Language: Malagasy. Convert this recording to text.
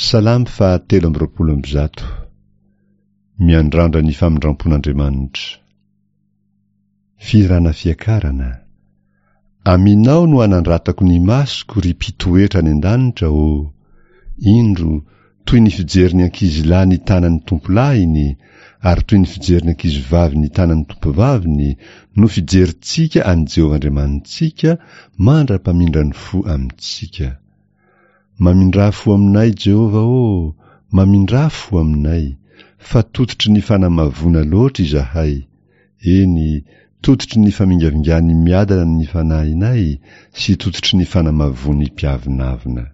Salamo faha 123. Miandrandra ny famindrampon'Andriamanitra. Fihirana fiakarana. Aminao no anandratako ny masoko ry mpitoetra any an-danitra ô! Indro, toy ny fijerin'ny ankizilahy ny tanan'ny tompolahiny, ary toy ny fijerin'ny ankizivavy ny tanan'ny tompovaviny no fijerintsika an'i Jehovah Andriamanitsika mandra-pamindrany fo amintsika. Mamindrà fo aminay, Jehovah ô, mamindrà fo aminay, fa tototry ny fanamavoana loatra izahay, eny, tototry ny famingavingan'ny miadana ny fanahinay sy tototry ny fanamavoan'ny mpiavonavona.